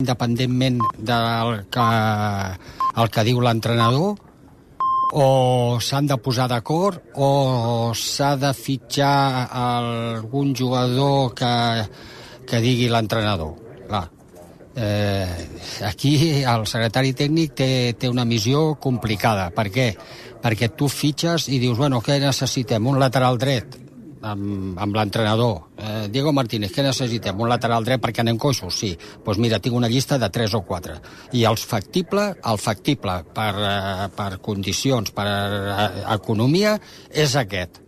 independentment del que diu l'entrenador, o s'han de posar d'acord, o s'ha de fitxar algun jugador que digui l'entrenador. Clar, aquí el secretari tècnic té una missió complicada. Per què? Perquè tu fitxes i dius, bueno, què necessitem? Un lateral dret amb l'entrenador. Diego Martínez, què necessitem? Un lateral dret perquè anem coixos? Sí. Doncs mira, tinc una llista de 3 o 4. I el factible per condicions, per economia, és aquest.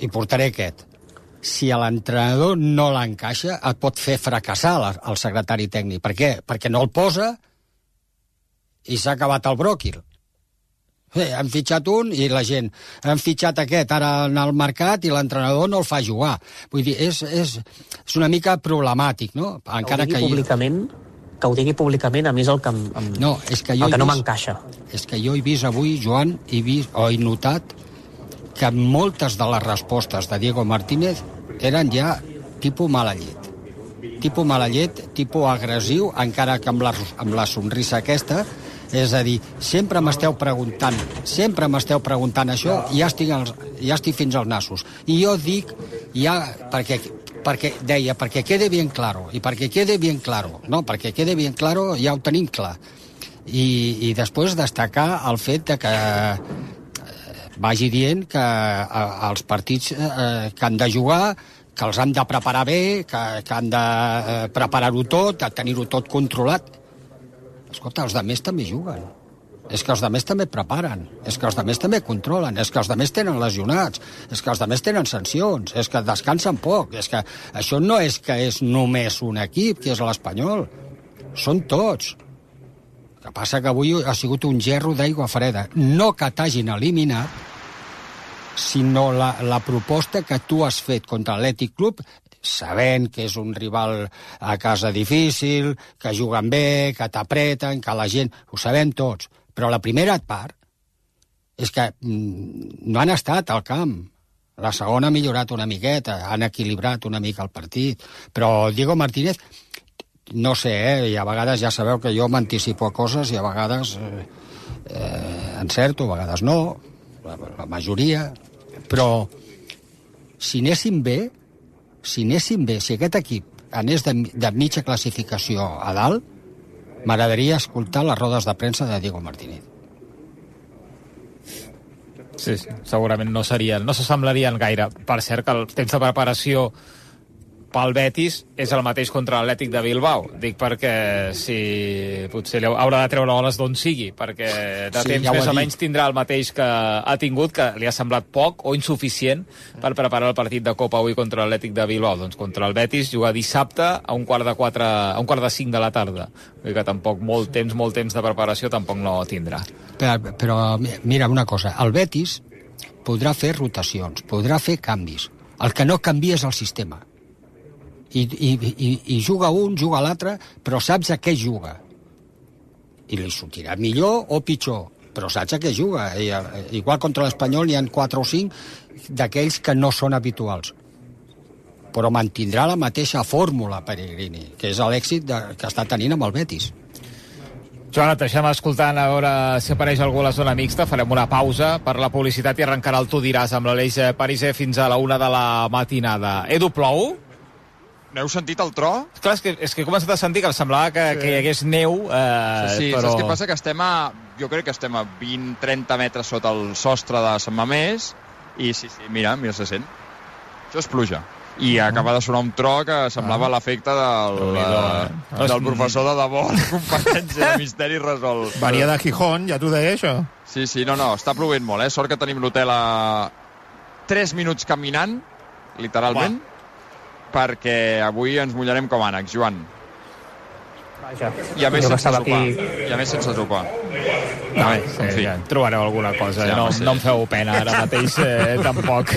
I portaré aquest. Si l'entrenador no l'encaixa, et pot fer fracassar el secretari tècnic. Per què? Perquè no el posa i s'ha acabat el bròquil. Han fitxat un i la gent han fitxat aquest ara en el mercat i l'entrenador no el fa jugar. Vull dir, és una mica problemàtic, no? Encara que ho digui públicament a mi és el que no m'encaixa. És que jo he vist avui, Joan, he notat que moltes de les respostes de Diego Martínez eren ja tipus mala llet. Tipus mala llet, tipus agressiu, encara que amb la somrissa aquesta. És a dir, sempre m'esteu preguntant això i ja estic fins als nassos. I jo dic, perquè quede bien claro, i perquè quede bien claro, no, perquè quede bien claro ja ho tenim clar. I després destacar el fet de que vagi dient que els partits que han de jugar, que els han de preparar bé, que han de preparar-ho tot, de tenir-ho tot controlat. Escolta, els altres també juguen. És que els altres també preparen. És que els altres també controlen. És que els altres tenen lesionats. És que els altres tenen sancions. És que descansen poc. És que això no és que és només un equip, que és l'Espanyol. Són tots. El que passa que avui ha sigut un gerro d'aigua freda. No que t'hagin eliminat, sinó la proposta que tu has fet contra l'Atlètic Club, sabent que és un rival a casa difícil, que juguen bé, que t'apreten, que la gent... Ho sabem tots. Però la primera part és que no han estat al camp. La segona ha millorat una miqueta, han equilibrat una mica el partit. Però Diego Martínez, no sé, i a vegades ja sabeu que jo m'anticipo a coses i a vegades encerto, a vegades no, la majoria. Però si anéssim bé, si aquest equip anés de mitja classificació a dalt, m'agradaria escoltar les rodes de premsa de Diego Martínez. Sí, segurament no s'assemblarien gaire. Per cert, que el temps de preparació pel Betis és el mateix contra l'Atlètic de Bilbao. Dic perquè si potser haurà de treure holes d'on sigui, perquè de temps ja més o menys tindrà el mateix que ha tingut, que li ha semblat poc o insuficient per preparar el partit de Copa avui contra l'Atlètic de Bilbao. Doncs contra el Betis jugar dissabte a un quart de 5 de la tarda. Vull dir que tampoc molt temps de preparació tampoc no tindrà. Però mira una cosa, el Betis podrà fer rotacions, podrà fer canvis. El que no canvia és el sistema. I juga un, juga l'altre, però saps a què juga. I li sortirà millor o pitjor, però saps a què juga. Igual contra l'Espanyol hi ha 4 o 5 d'aquells que no són habituals. Però mantindrà la mateixa fórmula Pellegrini, que és l'èxit que està tenint amb el Betis. Joan, et deixem escoltant a veure si apareix algú a la zona mixta. Farem una pausa per la publicitat i arrencarà el Tu diràs amb l'Aleix Pariser fins a la 1 de la matinada. Edu, plou? N'heu sentit el tro? Clar, és que he començat a sentir que em semblava que hi hagués neu. Sí, però... saps què passa? Que jo crec que estem a 20-30 metres sota el sostre de Sant Mamés i sí, mira se sent. Això és pluja. I acaba de sonar un tro que semblava l'efecte del professor de debò, la competència de misteri resolt. Venia de Gijón, ja t'ho deia, això. Sí, no, està plovent molt, eh? Sort que tenim l'hotel a 3 minuts caminant, literalment, perquè avui ens mullarem com ànecs, Joan. Vaja. I a més sense sopar. Ja trobareu alguna cosa, no em feu pena ara mateix tampoc.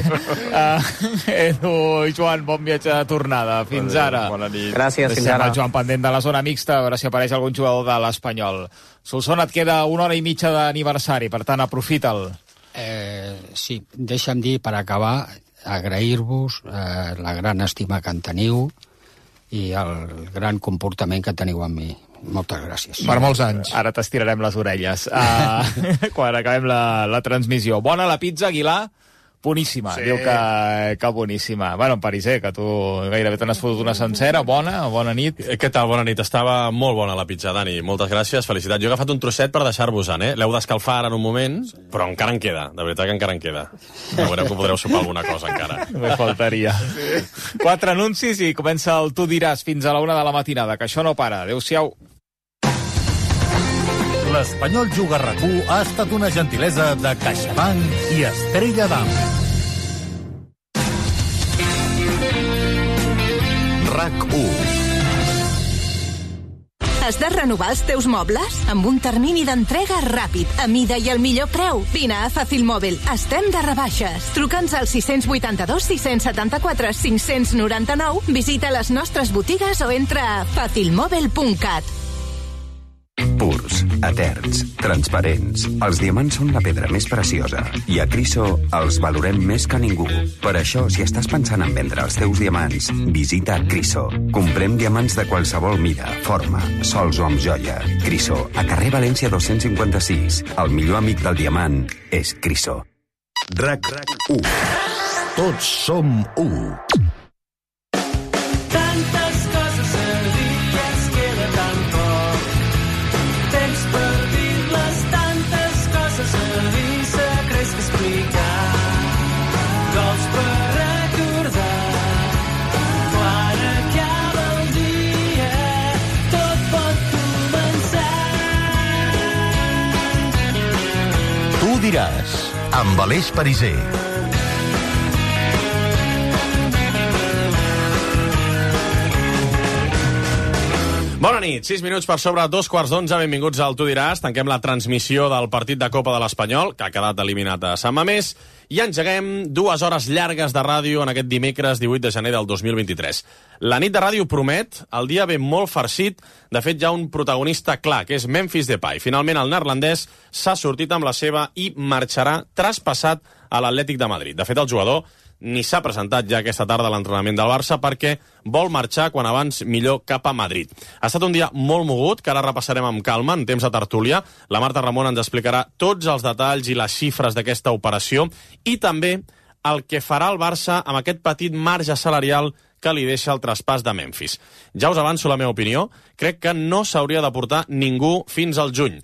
Edu i Joan, bon viatge de tornada. Fins ara. Bona nit. Gràcies, fins ara. Joan pendent de la zona mixta, a veure si apareix algun jugador de l'Espanyol. Solsona, et queda 1 hora i mitja d'aniversari, per tant, aprofita'l. Sí, deixa'm dir, per acabar, agrair-vos la gran estima que en teniu i el gran comportament que teniu amb mi. Moltes gràcies. Per molts anys. Ara t'estirarem les orelles quan acabem la transmissió. Bona la pizza, Aguilar? Boníssima, sí. Diu que boníssima. Bueno, en Pariser, que tu gairebé te n'has fotut una sencera. Bona nit. Què tal? Bona nit. Estava molt bona la pizza, Dani. Moltes gràcies, felicitats. Jo he agafat un trosset per deixar-vos-en, L'heu d'escalfar ara en un moment, però encara en queda. De veritat que encara en queda. Veureu que podreu sopar alguna cosa, encara. Me faltaria. 4 anuncis i comença el Tu diràs fins a la 1 de la matinada, que això no para. Adéu-siau. L'Espanyol Juga a RAC1 ha estat una gentilesa de CaixaBank i Estrella d'Am. RAC1. Has de renovar els teus mobles? Amb un termini d'entrega ràpid, a mida i al millor preu. Vine a Fàcil Mòbil. Estem de rebaixes. Truca'ns al 682 674 599, visita les nostres botigues o entra a facilmobil.cat. Purs, eterns, transparents. Els diamants són la pedra més preciosa i a Criso els valorem més que ningú. Per això, si estàs pensant en vendre els teus diamants, visita Criso. Comprem diamants de qualsevol mida, forma, sols o amb joia. Criso, a carrer València 256. El millor amic del diamant és Criso. RAC1. Tots som 1. Tantes coses a dir i ens queda tan poc. Temps per dir-les, tantes coses a dir, secrets que explicar, gols per recordar. Quan acaba el dia, tot pot començar. Tu diràs, amb Aleix Pariser. Bona nit, 6 minuts per sobre 2:15. Benvinguts al Tu diràs. Tanquem la transmissió del partit de Copa de l'Espanyol, que ha quedat eliminat a Sant Mamés, i engeguem 2 hores llargues de ràdio en aquest dimecres 18 de gener del 2023. La nit de ràdio promet, el dia ve molt farcit. De fet, hi ha un protagonista clar, que és Memphis Depay. Finalment, el neerlandès s'ha sortit amb la seva i marxarà traspassat a l'Atlètic de Madrid. De fet, el jugador ni s'ha presentat ja aquesta tarda a l'entrenament del Barça perquè vol marxar quan abans millor cap a Madrid. Ha estat un dia molt mogut, que ara repassarem amb calma en temps de tertúlia. La Marta Ramon ens explicarà tots els detalls i les xifres d'aquesta operació i també el que farà el Barça amb aquest petit marge salarial que li deixa el traspàs de Memphis. Ja us avanço la meva opinió. Crec que no s'hauria de portar ningú fins al juny.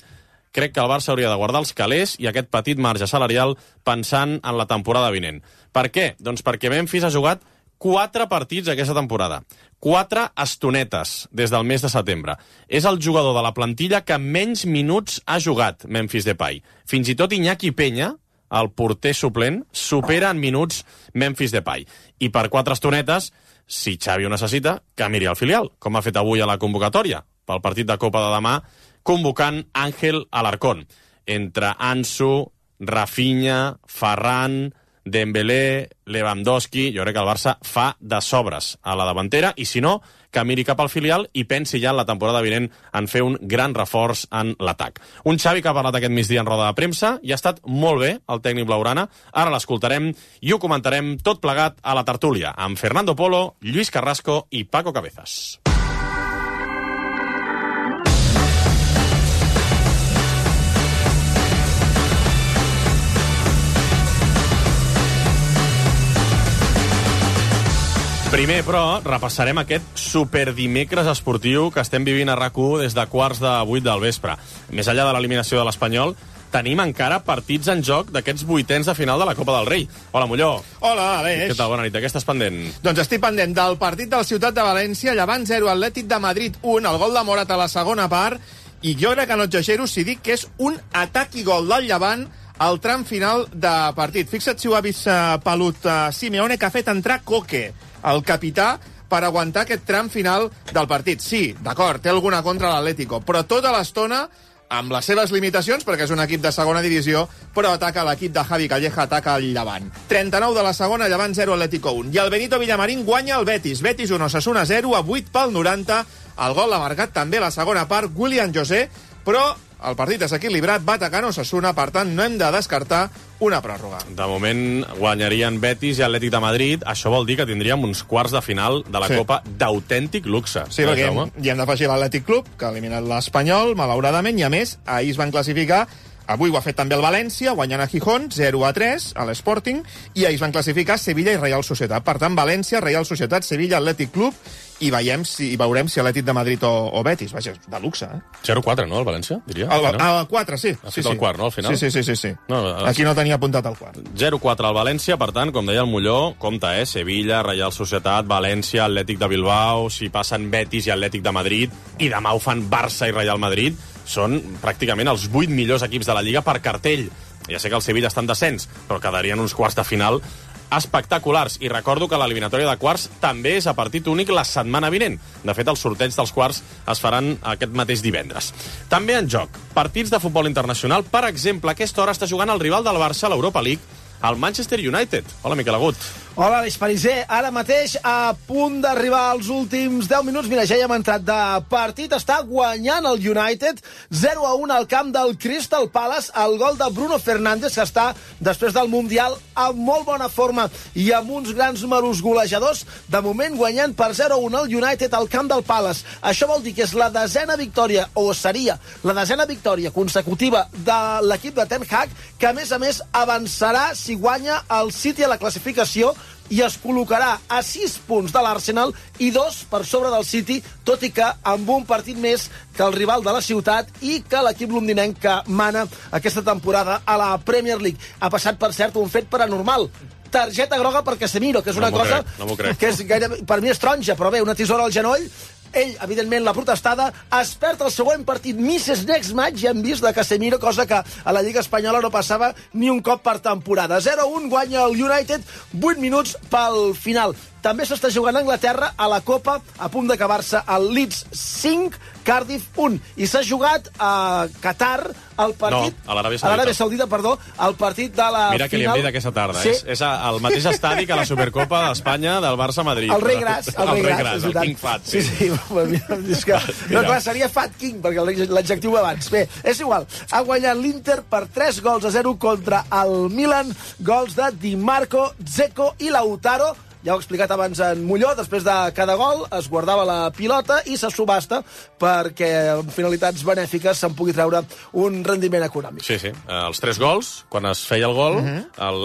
Crec que el Barça hauria de guardar els calés i aquest petit marge salarial pensant en la temporada vinent. Per què? Doncs perquè Memphis ha jugat 4 partits aquesta temporada. 4 estonetes des del mes de setembre. És el jugador de la plantilla que menys minuts ha jugat, Memphis Depay. Fins i tot Iñaki Peña, el porter suplent, supera en minuts Memphis Depay. I per 4 estonetes, si Xavi ho necessita, que miri al filial, com ha fet avui a la convocatòria, pel partit de Copa de demà, convocant Ángel Alarcón. Entre Ansu, Rafinha, Ferran, Dembélé, Lewandowski, jo crec que el Barça fa de sobres a la davantera, i si no, que miri cap al filial i pensi ja en la temporada vinent en fer un gran reforç en l'atac. Un Xavi que ha parlat aquest migdia en roda de premsa i ha estat molt bé, el tècnic blaugrana. Ara l'escoltarem i ho comentarem tot plegat a la tertúlia, amb Fernando Polo, Lluís Carrasco i Paco Cabezas. Primer, però, repassarem aquest superdimecres esportiu que estem vivint a RAC1 des de 7:45 del vespre. Més enllà de l'eliminació de l'Espanyol, tenim encara partits en joc d'aquests 8ens de final de la Copa del Rei. Hola, Molló. Hola, Aleix. Què tal? Bona nit. De què estàs pendent? Doncs estic pendent del partit del Ciutat de València, Llevant 0, Atlètic de Madrid 1, el gol de Morat a la segona part, i jo crec que no exagero si dic que és un atac i gol del Llevant al tram final de partit. Fixa't si ho ha vist pelut Simeone, que ha fet entrar Coque, el capità, per aguantar aquest tram final del partit. Sí, d'acord, té alguna contra l'Atlético, però tota l'estona, amb les seves limitacions, perquè és un equip de segona divisió, però ataca l'equip de Javi Calleja, ataca el Llevant. 39 de la segona, Llevant 0, Atlético 1. I el Benito Villamarín guanya el Betis. Betis 1, Osasuna 0, a 8 pel 90. El gol l'ha marcat també la segona part William José, però el partit és equilibrat, va atacant Osasuna, per tant no hem de descartar una pròrroga. De moment guanyarien Betis i Atlètic de Madrid. Això vol dir que tindríem uns quarts de final de la Copa d'autèntic luxe. Sí, perquè hi hem d'afegir l'Atlètic Club, que ha eliminat l'Espanyol, malauradament, i a més, ahir es van classificar. Avui ho ha fet també el València, guanyant a Gijón 0-3 a l'Sporting, i ahir es van classificar Sevilla i Real Societat. Per tant, València, Real Societat, Sevilla, Atlètic Club, i veurem si Atlètic de Madrid o Betis. Vaja, de luxe, eh? 0-4, no, el València, diria? El 4, sí. Ha fet el quart, no, al final? Sí. No, aquí no tenia apuntat el quart. 0-4 al València, per tant, com deia el Molló, compte, Sevilla, Real Societat, València, Atlètic de Bilbao, si passen Betis i Atlètic de Madrid, i demà ho fan Barça i Real Madrid, són pràcticament els 8 millors equips de la Lliga per cartell. Ja sé que el Sevilla està en descens, però quedarien uns quarts de final espectaculars. I recordo que l'eliminatòria de quarts també és a partit únic la setmana vinent. De fet, els sorteig dels quarts es faran aquest mateix divendres. També en joc, partits de futbol internacional. Per exemple, a aquesta hora està jugant el rival del Barça a l'Europa League, el Manchester United. Hola, Miquel Agut. Hola, Aleix Pariser. Ara mateix, a punt d'arribar als últims 10 minuts. Mira, ja hi hem entrat de partit. Està guanyant el United 0-1 al camp del Crystal Palace. El gol de Bruno Fernández, que està, després del Mundial, amb molt bona forma i amb uns grans números golejadors. De moment, guanyant per 0-1 el United al camp del Palace. Això vol dir que és la desena victòria, o seria la desena victòria consecutiva de l'equip de Ten Hag, que, a més, avançarà si guanya el City a la classificació i es col·locarà a 6 punts de l'Arsenal i 2 per sobre del City, tot i que amb un partit més que el rival de la ciutat i que l'equip londinenc que mana aquesta temporada a la Premier League. Ha passat, per cert, un fet paranormal. Targeta groga per Casemiro, que és una cosa que és gairebé, per mi és taronja, però bé, una tisora al genoll. Ell, evidentment, la protestada, es perd el següent partit Mrs. Next Match, ja hem vist de Casemiro, cosa que a la Lliga Espanyola no passava ni un cop per temporada. 0-1, guanya el United, 8 minuts pel final. També s'està jugant a Anglaterra a la Copa, a punt d'acabar-se el Leeds 5, Cardiff 1. I s'ha jugat a Qatar el partit... No, a l'Aràbia Saudita. A l'Aràbia Saudita, perdó, el partit de la Mira que final... li hem dit aquesta tarda. Sí. És el mateix estadi que la Supercopa d'Espanya del Barça-Madrid. El Rei Gras. El Rei Gras, el King Fat. Sí. És que, no, clar, seria Fat King, perquè l'adjectiu va abans. Bé, és igual. Ha guanyat l'Inter per 3-0 contra el Milan. Gols de Di Marco, Dzeko i Lautaro. Ja ho he explicat abans en Molló, després de cada gol es guardava la pilota i se subhasta perquè amb finalitats benèfiques se'n pugui treure un rendiment econòmic. Sí. Els 3 gols, quan es feia el gol,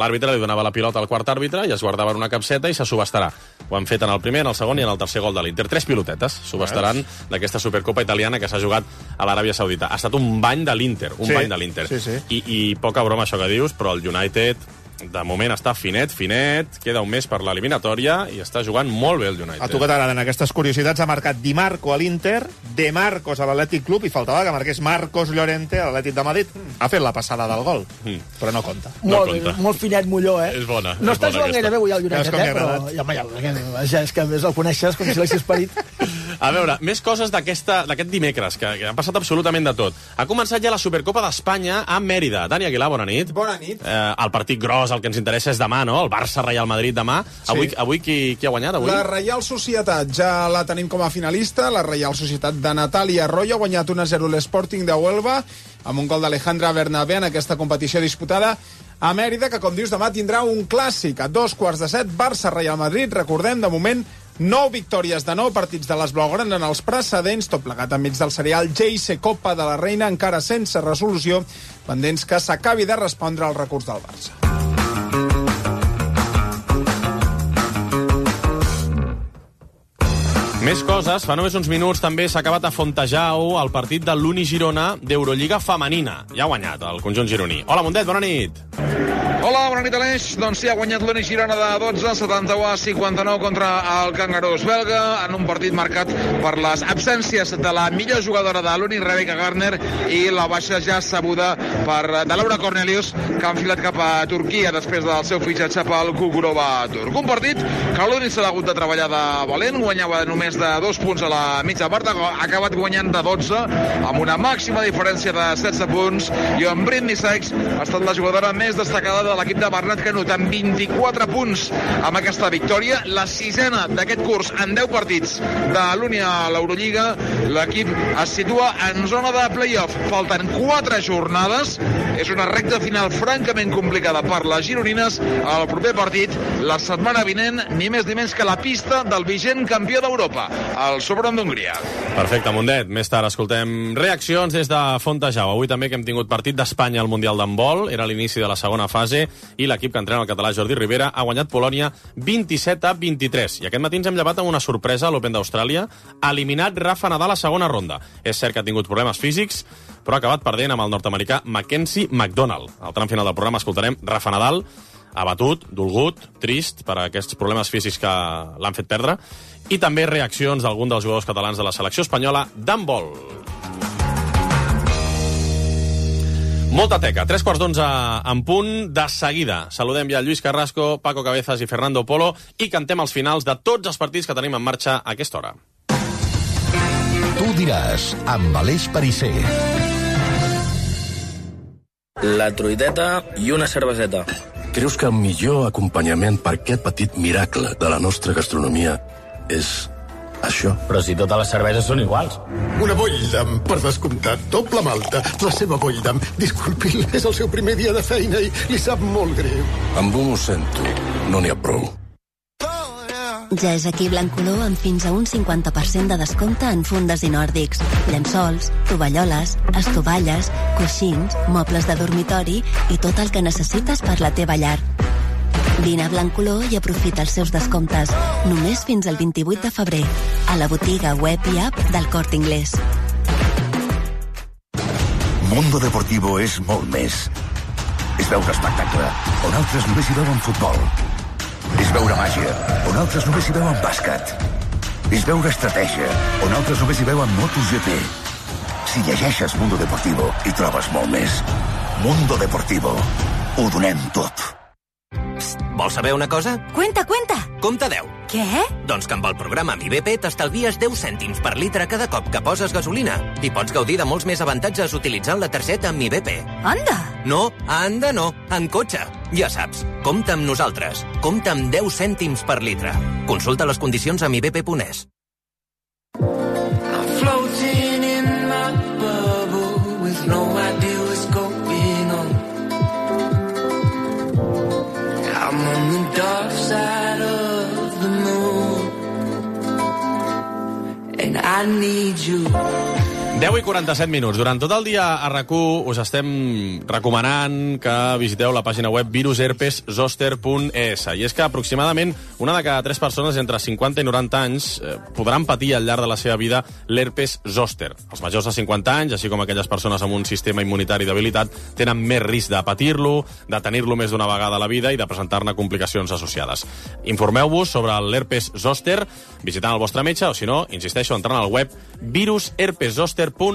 l'àrbitre li donava la pilota al quart àrbitre i es guardava en una capseta i se subhastarà. Ho han fet en el primer, en el segon i en el tercer gol de l'Inter. 3 pilotetes subhastaran d'aquesta Supercopa italiana que s'ha jugat a l'Aràbia Saudita. Ha estat un bany de l'Inter, bany de l'Inter. Sí. I poca broma això que dius, però el United... De moment està finet, queda un mes per l'eliminatòria i està jugant molt bé el United. A tu que t'agraden aquestes curiositats, ha marcat Di Marco a l'Inter, De Marcos a l'Atlètic Club, i faltava que marqués Marcos Llorente a l'Atlètic de Madrid. Ha fet la passada del gol, però no compta. Molt finet Molló, És bona. No està jugant gaire bé avui el United, però... Ja, és que més el coneixes com si l'haguessis parit. A veure, més coses d'aquest dimecres, que han passat absolutament de tot. Ha començat ja la Supercopa d'Espanya a Mèrida. Dani Aguilar, bona nit. Bona nit. El partit gros, el que ens interessa és demà, no? El Barça-Real Madrid demà. Sí. Avui qui ha guanyat? Avui? La Reial Societat ja la tenim com a finalista. La Reial Societat de Natàlia Arroyo ha guanyat 1-0 l'Sporting de Huelva amb un gol d'Alejandra Bernabé en aquesta competició disputada a Mèrida, que, com dius, demà tindrà un clàssic a 2:15, Barça-Real Madrid. Recordem, de moment, 9 victòries de 9 partits de les blaugranes en els precedents, tot plegat enmig del serial JC Copa de la Reina, encara sense resolució, pendents que s'acabi de respondre al recurs del Barça. Més coses. Fa només uns minuts també s'ha acabat a Fontejau el partit de l'Uni Girona d'Eurolliga femenina. Ja ha guanyat el conjunt gironí. Hola, Mundet, bona nit. Hola, bona nit, Aleix. Doncs sí, ha guanyat l'Uni Girona de 12, 71-59 contra el Cangarós belga, en un partit marcat per les absències de la millor jugadora de l'Uni, Rebecca Garner, i la baixa ja sabuda de Laura Cornelius, que ha enfilat cap a Turquia després del seu fitxatge pel Kukurova turc. Un partit que l'Uni s'ha hagut de treballar de valent, guanyava només de 2 punts a la mitja part, ha acabat guanyant de 12, amb una màxima diferència de 16 punts, i en Britney Sykes ha estat la jugadora més destacada de l'equip de Bernat Canut amb 24 punts amb aquesta victòria, la 6ª d'aquest curs en 10 partits de l'Únia a l'Eurolliga. L'equip es situa en zona de play-off. Falten 4 jornades. És una recta final francament complicada per les gironines. El proper partit, la setmana vinent, ni més ni menys que la pista del vigent campió d'Europa, el Sopron d'Hongria. Perfecte, Mundet. Més tard escoltem reaccions des de Fontejau. Avui també que hem tingut partit d'Espanya al Mundial d'handbol. Era l'inici de la segona fase i l'equip que entrena el català Jordi Rivera ha guanyat Polònia 27-23. I aquest matí ens hem llevat amb una sorpresa a l'Open d'Austràlia. Ha eliminat Rafa Nadal a segona ronda. És cert que ha tingut problemes físics, però ha acabat perdent amb el nord-americà Mackenzie McDonald. Al tram final del programa escoltarem Rafa Nadal, abatut, dolgut, trist per aquests problemes físics que l'han fet perdre, i també reaccions d'algun dels jugadors catalans de la selecció espanyola d'handbol. Molta teca, 11:03 en punt, de seguida. Saludem ja Lluís Carrasco, Paco Cabezas i Fernando Polo i cantem els finals de tots els partits que tenim en marxa a aquesta hora. Tu diràs, amb Aleix Perisser. La truiteta i una cerveseta. Creus que el millor acompanyament per aquest petit miracle de la nostra gastronomia és això? Però si totes les cerveses són iguals. Una Boldam, per descomptat, doble malta. La seva Boldam, disculpi, és el seu primer dia de feina i li sap molt greu. Amb un ho sento, no n'hi ha prou. Ja és aquí Blancolor amb fins a un 50% de descompte en fundes i nòrdics, llençols, tovalloles, estovalles, coixins, mobles de dormitori i tot el que necessites per la teva llar. Vine a Blancolor i aprofita els seus descomptes, només fins al 28 de febrer, a la botiga web i app del Corte Inglés. Mundo Deportivo és molt més. És veure espectacle, on altres només hi veuen futbol. És veure màgia, on altres només hi veuen bàsquet. És veure estratègia, on altres només hi veuen MotoGP. Si llegeixes Mundo Deportivo, hi trobes molt més. Mundo Deportivo. Ho donem tot. Psst, vols saber una cosa? Cuenta. Compte 10. Què? Doncs que amb el programa Mi BP t'estalvies 10 cèntims per litre cada cop que poses gasolina i pots gaudir de molts més avantatges utilitzant la targeta Mi BP. Anda! No, anda no, en cotxe. Ja saps, compta amb nosaltres. Compta amb 10 cèntims per litre. Consulta les condicions a mibp.es. I'm floating in my bubble with no idea what's going on. I'm on the dark side of the moon and I need you. 10:47. Durant tot el dia a RAC1 us estem recomanant que visiteu la pàgina web virusherpeszoster.es. I és que aproximadament una de cada 3 persones entre 50 i 90 anys podran patir al llarg de la seva vida l'herpes zoster. Els majors de 50 anys, així com aquelles persones amb un sistema immunitari debilitat, tenen més risc de patir-lo, de tenir-lo més d'una vegada a la vida i de presentar-ne complicacions associades. Informeu-vos sobre l'herpes zoster visitant el vostre metge o, si no, insisteixo, entrant al web virusherpeszoster.es. Is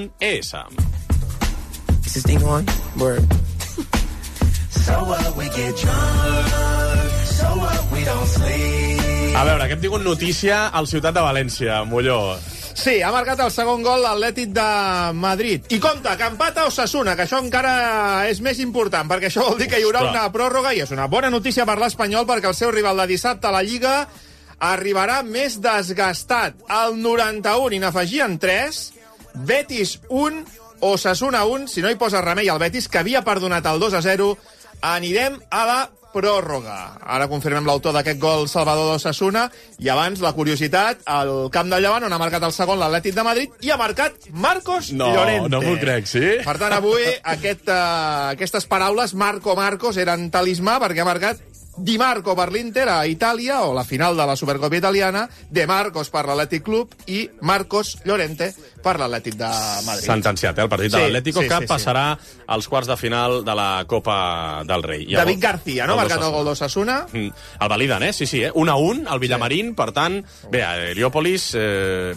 this thing on? Word. So what, we get drunk. So what, we don't sleep. A veure, que hem tingut notícia al Ciutat de València, Molló. Sí, ha marcat el segon gol l'Atlètic de Madrid. I compte, que empata Osasuna, que això encara és més important, perquè això vol dir que hi haurà una pròrroga i és una bona notícia per l'Espanyol, perquè el seu rival de dissabte a la Lliga arribarà més desgastat. Al 91 i n'afegien 3, Betis 1, Osasuna 1, si no hi posa remei al Betis, que havia perdonat el 2-0, anirem a la pròrroga. Ara confirmem l'autor d'aquest gol Salvador d'Osasuna, i abans la curiositat, al camp del Llevant, on ha marcat el segon l'Atlètic de Madrid, i ha marcat Marcos Llorente. No m'ho crec, sí? Per tant, avui aquestes paraules, Marcos, eren talismà, perquè ha marcat Di Marco per l'Inter a Itàlia, o la final de la Supercopa italiana, De Marcos per l'Atlètic Club i Marcos Llorente per l'Atlètic de Madrid. Sentenciat, el partit de l'Atlético, que passarà als quarts de final de la Copa del Rei. David García, no? Ha marcat el gol d'Osasuna. El validen, sí, 1-1, al Villamarín, per tant, bé, Heliòpolis,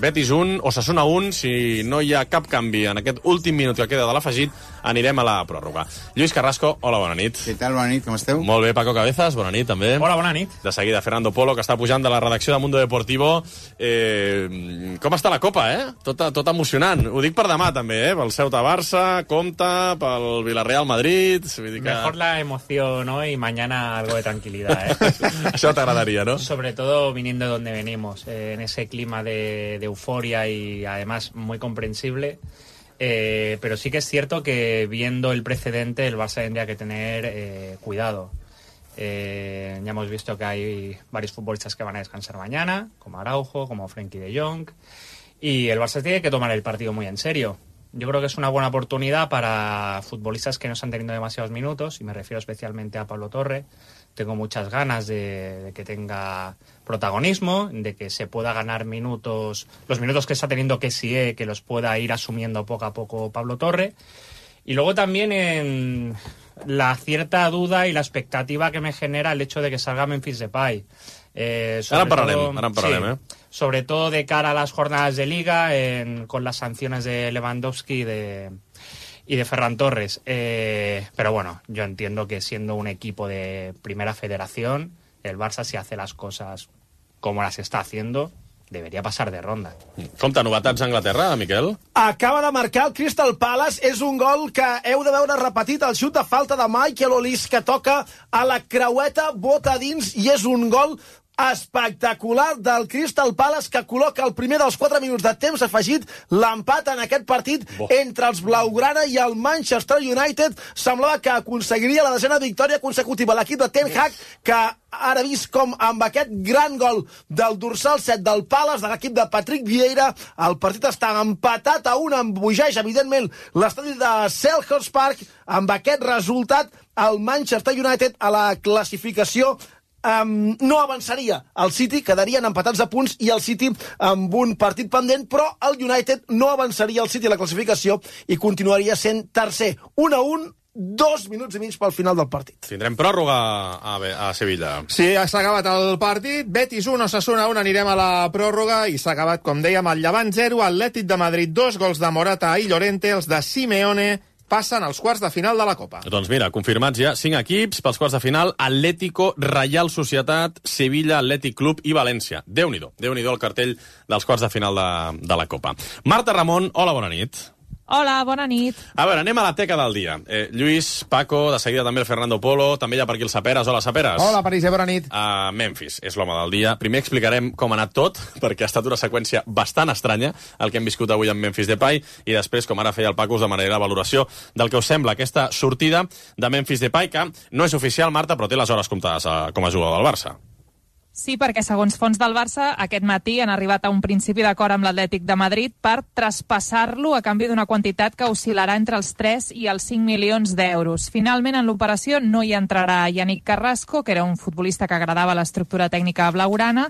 Betis 1, Osasuna 1, si no hi ha cap canvi en aquest últim minut que queda de l'afegit, anirem a la pròrroga. Lluís Carrasco, hola, bona nit. Què tal, bona nit, com esteu? Molt bé, Paco Cabezas, bona nit, també. Hola, bona nit. De seguida, Fernando Polo, que està pujant de la redacció de Mundo Deportivo. Com està la Copa, Tot emocionant. Ho dic per demà, també, pel Ceuta-Barça, compte, pel Villarreal-Madrid... Mejor la emoción hoy y mañana algo de tranquilidad, Això t'agradaria, ¿no? Sobre todo viniendo de donde venimos, en ese clima de euforia y además muy comprensible. Pero sí que es cierto que viendo el precedente el Barça tendría que tener cuidado. Ya hemos visto que hay varios futbolistas que van a descansar mañana, como Araujo, como Frenkie de Jong, y el Barça tiene que tomar el partido muy en serio. Yo creo que es una buena oportunidad para futbolistas que no están teniendo demasiados minutos, y me refiero especialmente a Pablo Torre. Tengo muchas ganas de que tenga protagonismo, de que se pueda ganar minutos, los minutos que está teniendo Kessie, que los pueda ir asumiendo poco a poco Pablo Torre. Y luego también en la cierta duda y la expectativa que me genera el hecho de que salga Memphis Depay. Ara en parlarem. Sobre todo de cara a las jornadas de Liga, con las sanciones de Lewandowski y de Ferran Torres. Pero bueno, yo entiendo que siendo un equipo de primera federación, el Barça, si hace las cosas como las está haciendo, debería pasar de ronda. Compte, novetats a Anglaterra, Miquel? Acaba de marcar el Crystal Palace. És un gol que heu de veure repetit. El xut de falta de Michael Olise, que toca a la creueta, bota dins, i és un gol espectacular del Crystal Palace, que col·loca el primer dels 4 minuts de temps afegit, l'empat en aquest partit entre els Blaugrana i el Manchester United. Semblava que aconseguiria la 10ª victòria consecutiva l'equip de Ten Hag, que ara vist com amb aquest gran gol del dorsal 7 del Palace, de l'equip de Patrick Vieira, el partit està empatat a 1, embogeix evidentment l'estadi de Selhurst Park. Amb aquest resultat, el Manchester United a la classificació no avançaria. El City quedarien empatats a punts i el City amb un partit pendent, però el United no avançaria el City a la classificació i continuaria sent tercer. 1-1, 2 minuts i mig pel final del partit. Tindrem pròrroga a Sevilla. Sí, s'ha acabat el partit. Betis 1, Osasuna 1, anirem a la pròrroga i s'ha acabat, com dèiem, el Llevant 0, Atlètic de Madrid 2, gols de Morata i Llorente, els de Simeone passen als quarts de final de la Copa. Doncs mira, confirmats ja 5 equips pels quarts de final: Atlético, Real Societat, Sevilla, Atlètic Club i València. Déu-n'hi-do el cartell dels quarts de final de la Copa. Marta Ramon, hola, bona nit. Hola, bona nit. A veure, anem a la teca del dia. Lluís, Paco, de seguida també el Fernando Polo, també hi ha per aquí el Saperes. Hola, Saperes. Hola, París, bona nit. Memphis és l'home del dia. Primer explicarem com ha anat tot, perquè ha estat una seqüència bastant estranya el que hem viscut avui amb Memphis Depay, i després, com ara feia el Paco, us demanaré la valoració del que us sembla aquesta sortida de Memphis Depay, que no és oficial, Marta, però té les hores comptades com a jugador del Barça. Sí, perquè segons fons del Barça, aquest matí han arribat a un principi d'acord amb l'Atlètic de Madrid per traspassar-lo a canvi d'una quantitat que oscil·larà entre els 3 i els 5 milions d'euros. Finalment, en l'operació no hi entrarà Yannick Carrasco, que era un futbolista que agradava l'estructura tècnica blaugrana,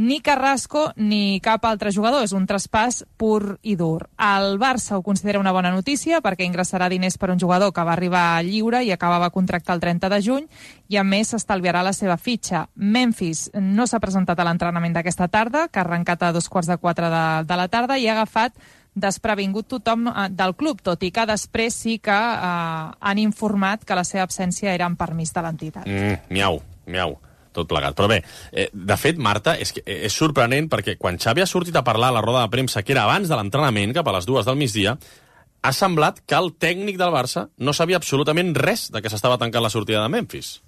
ni Carrasco ni cap altre jugador. És un traspàs pur i dur. El Barça ho considera una bona notícia perquè ingressarà diners per un jugador que va arribar lliure i acabava contracte el 30 de juny, i a més s'estalviarà la seva fitxa. Memphis no s'ha presentat a l'entrenament d'aquesta tarda, que ha arrencat a 3:45 de la tarda, i ha agafat desprevingut tothom del club, tot i que després sí que han informat que la seva absència era en permís de l'entitat. Miau, tot plegat. Però bé, de fet, Marta, és sorprenent perquè quan Xavi ha sortit a parlar a la roda de premsa, que era abans de l'entrenament, cap a les 2 del migdia, ha semblat que el tècnic del Barça no sabia absolutament res de que s'estava tancant la sortida de Memphis.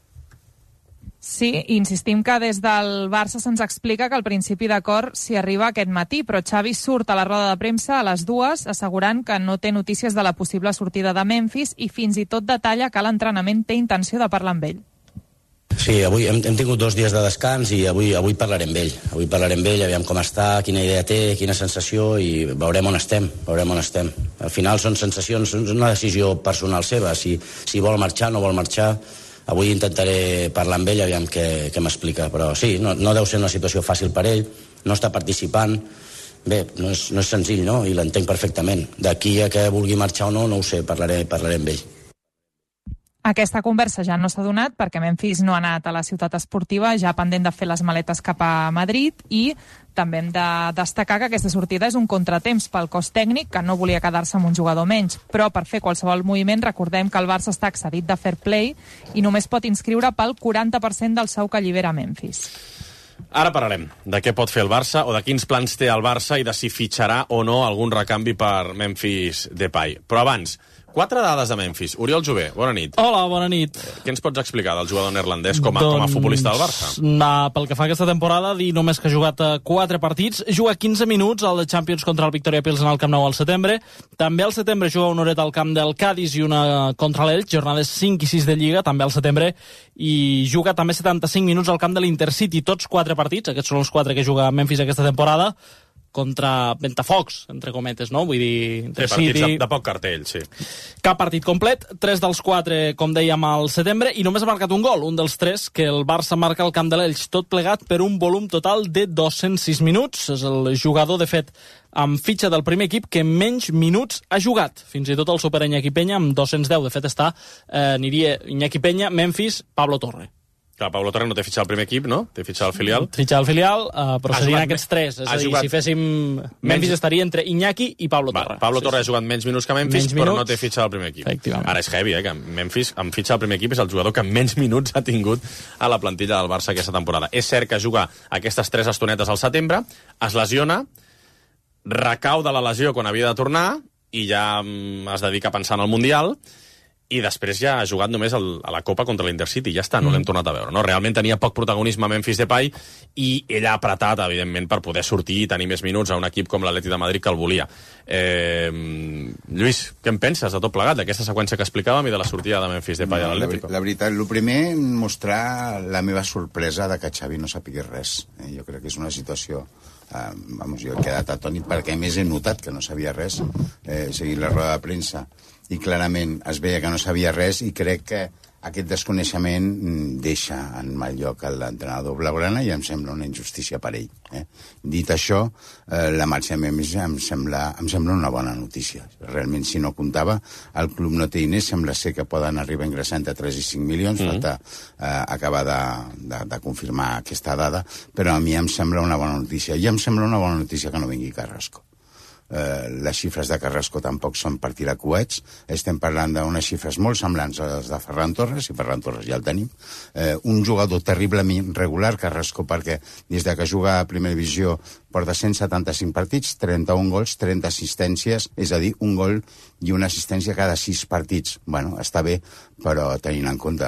Sí, insistim que des del Barça se'ns explica que el principi d'acord s'hi arriba aquest matí, però Xavi surt a la roda de premsa a les 2 assegurant que no té notícies de la possible sortida de Memphis i fins i tot detalla que l'entrenament té intenció de parlar amb ell. Sí, avui hem tingut 2 dies de descans i avui parlarem amb ell. Avui parlarem amb ell, aviam com està, quina idea té, quina sensació, i veurem on estem. Al final són sensacions, és una decisió personal seva. Si vol marxar, no vol marxar. Avui intentaré parlar amb ell, aviam què m'explica. Però sí, no deu ser una situació fàcil per ell, no està participant. Bé, no és senzill, no? I l'entenc perfectament. D'aquí a que vulgui marxar o no ho sé, parlaré amb ell. Aquesta conversa ja no s'ha donat perquè Memphis no ha anat a la ciutat esportiva, ja pendent de fer les maletes cap a Madrid, i també hem de destacar que aquesta sortida és un contratemps pel cos tècnic, que no volia quedar-se amb un jugador menys, però per fer qualsevol moviment recordem que el Barça està excedit de fair play i només pot inscriure pel 40% del sou que allibera Memphis. Ara parlarem de què pot fer el Barça o de quins plans té el Barça i de si fitxarà o no algun recanvi per Memphis Depay. Però abans, 4 dades de Memphis. Oriol Jové, bona nit. Hola, bona nit. Què ens pots explicar del jugador neerlandès com a futbolista del Barça? Pel que fa a aquesta temporada, dir només que ha jugat 4 partits, juga 15 minuts al Champions contra el Victoria Pilsen al Camp Nou al setembre. També al setembre juga una horeta al camp del Cádiz i una contra l'Elx, jornades 5 i 6 de Lliga, també al setembre, i juga també 75 minuts al camp de l'Intercity, tots 4 partits, aquests són els 4 que juga Memphis aquesta temporada, contra Ventafocs, entre cometes, no? Vull dir, Intercity... partits de poc cartell, sí. Cap partit complet, 3 dels 4, com dèiem, al setembre, i només ha marcat un gol, un dels 3 que el Barça marca al camp de l'Elx, tot plegat per un volum total de 206 minuts. És el jugador, de fet, amb fitxa del primer equip que menys minuts ha jugat. Fins i tot el supera Iñaki Peña amb 210. De fet, aniria Iñaki Peña, Memphis, Pablo Torre. Clar, Pablo Torre no té fitxat al primer equip, no? Té fitxat al filial. Fitxat al filial, però serien aquests 3. És a dir, si féssim... Memphis estaria entre Iñaki i Pablo Torre. Pablo Torre ha jugat menys minuts que Memphis, però no té fitxat al primer equip. Ara és heavy, que Memphis, amb fitxa al primer equip, és el jugador que menys minuts ha tingut a la plantilla del Barça aquesta temporada. És cert que juga aquestes 3 estonetes al setembre, es lesiona, recau de la lesió quan havia de tornar, i ja es dedica a pensar en el Mundial, i després ja ha jugat només a la Copa contra l'Intercity, ja està, no l'hem tornat a veure. No? Realment tenia poc protagonisme Memphis Depay i ell ha apretat, evidentment, per poder sortir i tenir més minuts a un equip com l'Atlètic de Madrid que el volia. Lluís, què en penses de tot plegat, d'aquesta seqüència que explicàvem i de la sortida de Memphis Depay a l'Atlético? La veritat, el primer, mostrar la meva sorpresa de que Xavi no sàpiga res. Jo crec que és una situació... jo he quedat atònit perquè més he notat que no sabia res, seguint la roda de premsa, i clarament es veia que no sabia res, i crec que aquest desconeixement deixa en mal lloc l'entrenador blaugrana i em sembla una injustícia per ell. Dit això, la marxa de Memphis em sembla una bona notícia. Realment, si no comptava, el club no té diners, sembla ser que poden arribar ingressant a 3 i 5 milions, falta acabar de confirmar aquesta dada, però a mi em sembla una bona notícia. I em sembla una bona notícia que no vingui Carrasco. Les xifres de Carrasco tampoc són per tirar coets. Estem parlant d'unes xifres molt semblants a les de Ferran Torres, i Ferran Torres ja el tenim. Un jugador terriblement regular, Carrasco, perquè des de que juga a primera divisió porta 175 partits, 31 gols, 30 assistències, és a dir, un gol i una assistència cada 6 partits. Bueno, està bé, però tenint en compte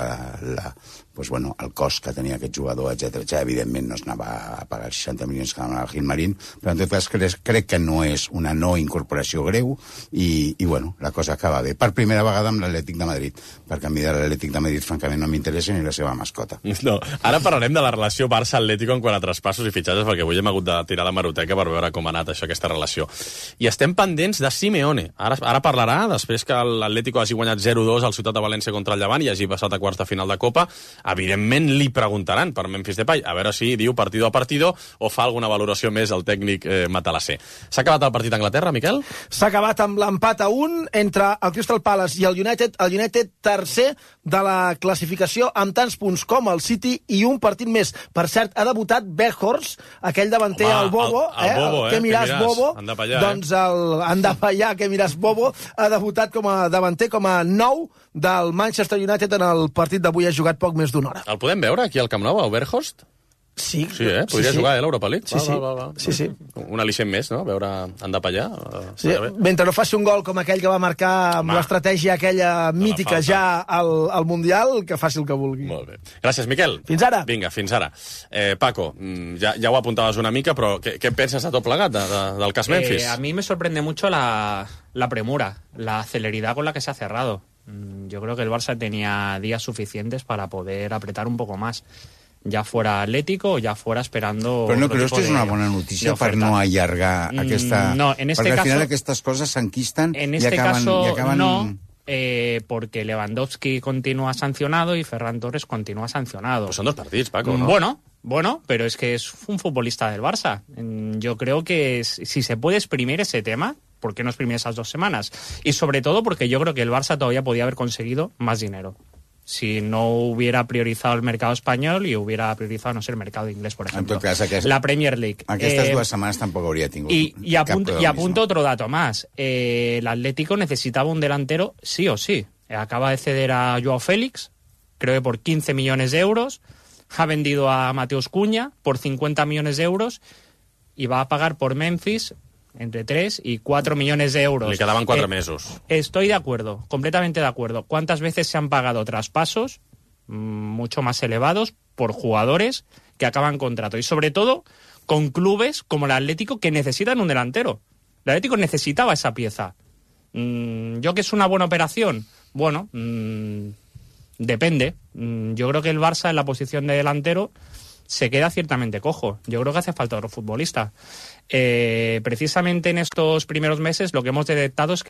el cost que tenia aquest jugador, etc. Evidentment no es anava a pagar 60 milions que anava al Gilmarín, però en tot cas crec que no és una no incorporació greu i la cosa acaba bé. Per primera vegada amb l'Atlètic de Madrid, perquè a mi de l'Atlètic de Madrid francament no m'interessa ni la seva mascota. No, ara parlarem de la relació Barça-Atlético en quant a traspassos i fitxatges, perquè avui hem hagut de tirar la maroteca per veure com ha anat això, aquesta relació. I estem pendents de Simeone. Ara parlarà, després que l'Atlético hagi guanyat 0-2 al Ciutat de València contra el Llevant i hagi passat a quarts de final de Copa. Evidentment li preguntaran per Memphis Depay, a veure si diu partido a partido o fa alguna valoració més el tècnic matalasser. S'ha acabat el partit a Anglaterra, Miquel? S'ha acabat amb l'empat a 1 entre el Crystal Palace i el United tercer de la classificació amb tants punts com el City i un partit més. Per cert, ha debutat Weghorst, aquell davanter, el Bobo, que miràs Bobo, doncs el Andapallà, que miràs Bobo, ha debutat com a davanter, com a nou del Manchester United en el partit d'avui. Ha jugat poc més d'una hora. El podem veure aquí al Camp Nou, a Weghorst? Sí. Podria jugar a l'Europa League. Sí. Un al·licient més, no? Veure Andapallà. Mentre no faci un gol com aquell que va marcar amb l'estratègia aquella mítica ja al Mundial, que faci el que vulgui. Molt bé. Gràcies, Miquel. Fins ara. Vinga, fins ara. Paco, ja ho apuntaves una mica, però què penses de tot plegat del cas Memphis? A mí me sorprende mucho la premura, la celeridad con la que se ha cerrado. Yo creo que el Barça tenía días suficientes para poder apretar un poco más. Ya fuera Atlético o ya fuera esperando... Però no creus que és una bona notícia per no allargar aquesta... No, en este perquè caso... al final aquestes coses s'enquisten en i este acaben... caso no, porque Lewandowski continúa sancionado y Ferran Torres continúa sancionado. Pues son 2 partits, Paco, ¿no? Bueno, pero es que es un futbolista del Barça. Yo creo que si se puede exprimir ese tema, ¿por qué no exprimir esas 2 semanas? Y sobre todo porque yo creo que el Barça todavía podía haber conseguido más dinero si no hubiera priorizado el mercado español y hubiera priorizado, no sé, el mercado inglés, por ejemplo. En tot cas, la Premier League. Aquestes 2 setmanes tampoc hauria tingut y apunto otro dato más. El Atlético necesitaba un delantero sí o sí. Acaba de ceder a Joao Félix, creo que por 15 millones de euros. ha vendido a Mateus Cunha por 50 millones de euros y va a pagar por Memphis entre 3 y 4 millones de euros. Le quedaban 4 meses. Estoy de acuerdo, completamente de acuerdo. ¿Cuántas veces se han pagado traspasos mucho más elevados por jugadores que acaban contrato? Y sobre todo con clubes como el Atlético que necesitan un delantero. El Atlético necesitaba esa pieza. ¿Yo que es una buena operación? Bueno, depende. Yo creo que el Barça en la posición de delantero se queda ciertamente cojo. Yo creo que hace falta otro futbolista. Precisamente en estos primeros meses lo que hemos detectado es